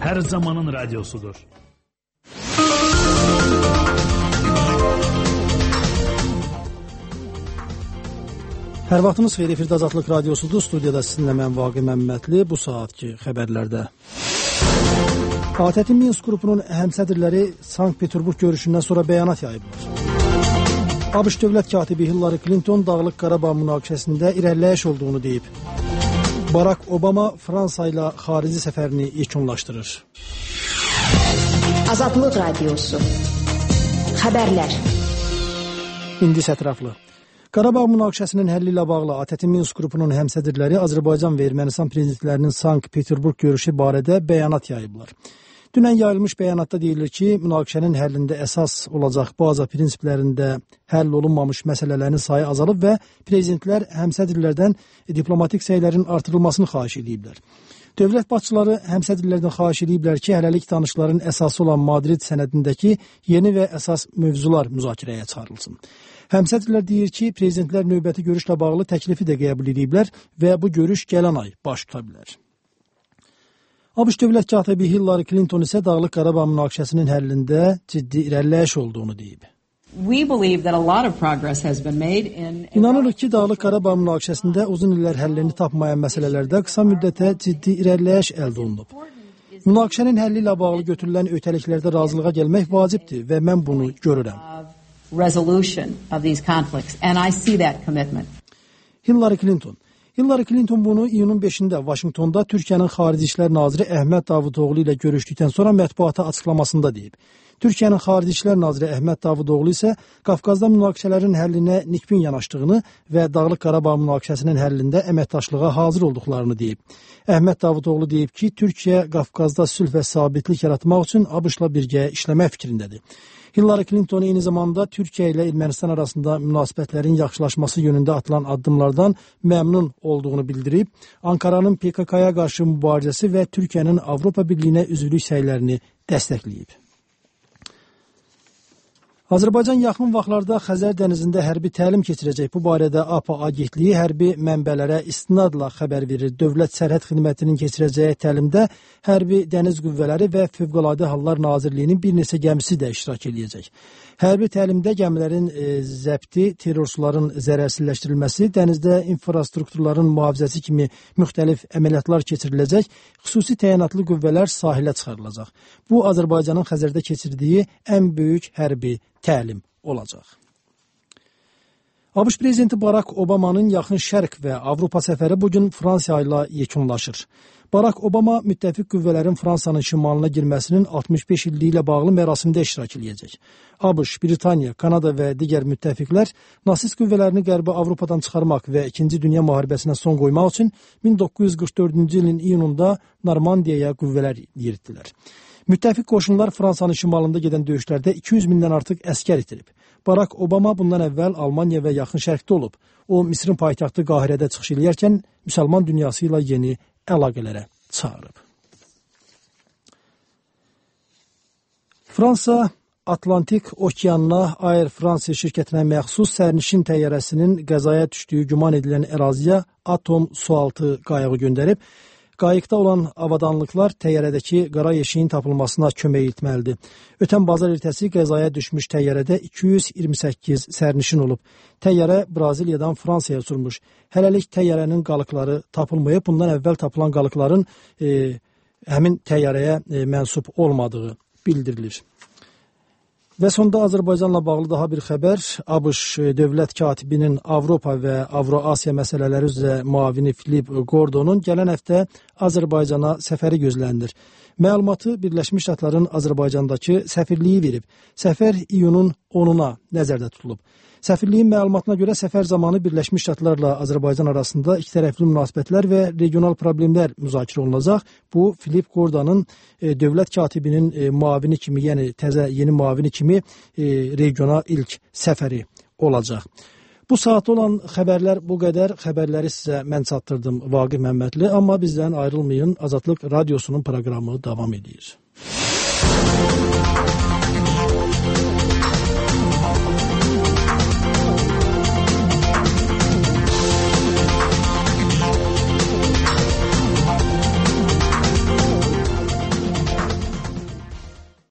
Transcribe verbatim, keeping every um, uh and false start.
her zamanın radyosudur. Hər vaxtınız xeyir, efirdə Azadlıq Radyosudur. Studiyada sizinlə mən Vaqi Məmmədli. Bu saatki xəbərlərdə. A T T Minsk qrupunun həmsədrləri Sankt-Peterburg görüşündən sonra bəyanat yayıblar. ABŞ dövlət katibi Hillary Clinton Dağlıq Qarabağ münaqişəsində irəliləyiş olduğunu deyib. Barack Obama Fransa ilə xarici səfərini yekunlaşdırır. Azadlıq Radyosu. Xəbərlər. İndi ətraflı. Qarabağ münaqişəsinin həlli ilə bağlı A T T Minsk qrupunun həmsədrləri Azərbaycan və Ermənistan prezidentlərinin Sankt-Peterburg görüşü barədə bəyanat yayıblar. Dünən yayılmış bəyanatda deyilir ki, münaqişənin həllində əsas olacaq baza prinsiplərində həll olunmamış məsələlərin sayı azalıb və prezidentlər həmsədrlərdən diplomatik səylərin artırılmasını xahiş ediblər. Dövlət başçıları həmsədrlərdən xahiş ediblər ki, hələlik danışıqların əsası olan Madrid sənədindəki yeni və əsas mövzular müzakirəyə çıxarılsın. Həmsədrlər deyir ki, prezidentlər növbəti görüşlə bağlı təklifi də qəbul ediblər və bu görüş gələn ay baş tuta bilər. ABŞ dövlət katibi Hillary Clinton isə Dağlıq Qarabağ münaqişəsinin həllində ciddi irəliləyiş olduğunu deyib. İnanırıq ki, Dağlıq Qarabağ münaqişəsində uzun illər həllini tapmayan məsələlərdə qısa müddətə ciddi irəliləyiş əldə olunub. Münaqişənin həlli ilə bağlı götürülən öhdəliklərdə razılığa gəlmək vacibdir və mən bunu görürəm. Resolution of these conflicts, and I see that commitment. Hillary Clinton. Hillary Clinton bunu iyunun beşində Vaşinqtonda Türkiyənin Xarici İşlər Naziri Əhməd Davutoğlu ilə görüşdükdən sonra mətbuata açıqlamasında deyib. Türkiyənin Xarici İşlər Naziri Əhməd Davutoğlu isə Qafqazda münaqişələrin həllinə nikbin yanaşdığını və Dağlıq Qarabağ münaqişəsinin həllində əməkdaşlığa hazır olduqlarını deyib. Əhməd Davutoğlu deyib ki, Türkiyə Qafqazda sülh və sabitlik yaratmaq üçün ABŞ-la birgə işləmək fikrindədir. Hillary Clinton eyni zamanda Türkiyə ilə Ermənistan arasında münasibətlərin yaxşılaşması yönündə atılan addımlardan məmnun olduğunu bildirib, Ankaranın P K K-ya qarşı mübarizəsi və Türkiyənin Avropa Birliyinə üzvlük səylərini dəstəkləyib. Azərbaycan yaxın vaxtlarda Xəzər dənizində hərbi təlim keçirəcək. Bu barədə A P A agentliyi hərbi mənbələrə istinadla xəbər verir. Dövlət Sərhəd Xidmətinin keçirəcəyi təlimdə Hərbi Dəniz Qüvvələri və Fövqəladə Hallar Nazirliyinin bir neçə gəmisi də iştirak edəcək. Hərbi təlimdə gəmilərin e, zəbti, terrorçuların zərərsizləşdirilməsi, dənizdə infrastrukturların mühafizəsi kimi müxtəlif əməliyyatlar keçiriləcək, xüsusi təyinatlı qüvvələr sahilə çıxarılacaq. Bu, Azərbaycanın Xəzərdə keçirdiyi ən böyük hərbi təlim olacaq. ABŞ prezidenti Barack Obama'nın Yaxın Şərq və Avropa səfəri bugün Fransa ilə yekunlaşır. Barack Obama müttəfiq qüvvələrin Fransanın şimalına girməsinin altmış beş illiyi ilə bağlı mərasimdə iştirak edəcək. ABŞ, Britaniya, Kanada və digər müttəfiqlər nasist qüvvələrini Qərbi Avropadan çıxarmaq və İkinci Dünya müharibəsinə son qoymaq üçün min doqquz yüz qırx dördüncü ilin iyununda Normandiyaya qüvvələr yeritdilər. Müttəfiq qoşunlar Fransanın şimalında gedən döyüşlərdə iki yüz mindən artıq əskər itirib. Barack Obama bundan əvvəl Almaniya və Yaxın Şərqdə olub. O, Misrin paytaxtı Qahirədə çıxış edərkən müsəlman dünyası ilə yeni əlaqələrə çağırıb. Fransa Atlantik Okeanına Air France şirkətinə məxsus sərnişin təyyarəsinin qəzaya düşdüyü güman edilən əraziyə Atom sualtı qayığı göndərib. Qayıqda olan avadanlıqlar təyyarədəki qara yeşiyin tapılmasına kömək etməlidir. Ötən bazar ertəsi qəzaya düşmüş təyyarədə iki yüz iyirmi səkkiz sərnişin olub. Təyyarə Braziliyadan Fransaya uçurmuş. Hələlik təyyarənin qalıqları tapılmayıb. Bundan əvvəl tapılan qalıqların e, həmin təyyarəyə e, mənsub olmadığı bildirilir. Və sonda Azərbaycanla bağlı daha bir xəbər. ABŞ dövlət katibinin Avropa və Avro-Asiya məsələləri üzrə müavini Filip Gordonun gələn həftə Azərbaycana səfəri gözlənilir. Məlumatı Birləşmiş Ştatların Azərbaycandakı səfirliyi verib. Səfər iyunun onuna nəzərdə tutulub. Səfirliyin məlumatına görə səfər zamanı Birləşmiş Ştatlarla Azərbaycan arasında ikitərəfli münasibətlər və regional problemlər müzakirə olunacaq. Bu, Filip Gordonun e, dövlət katibinin e, müavini kimi, yəni təzə yeni müavini kimi e, regiona ilk səfəri olacaq. Bu saat olan xəbərlər bu qədər. Xəbərləri sizə mən çatdırdım Vaqi Məmmədli, amma bizdən ayrılmayın. Azadlıq Radyosunun proqramı davam edir.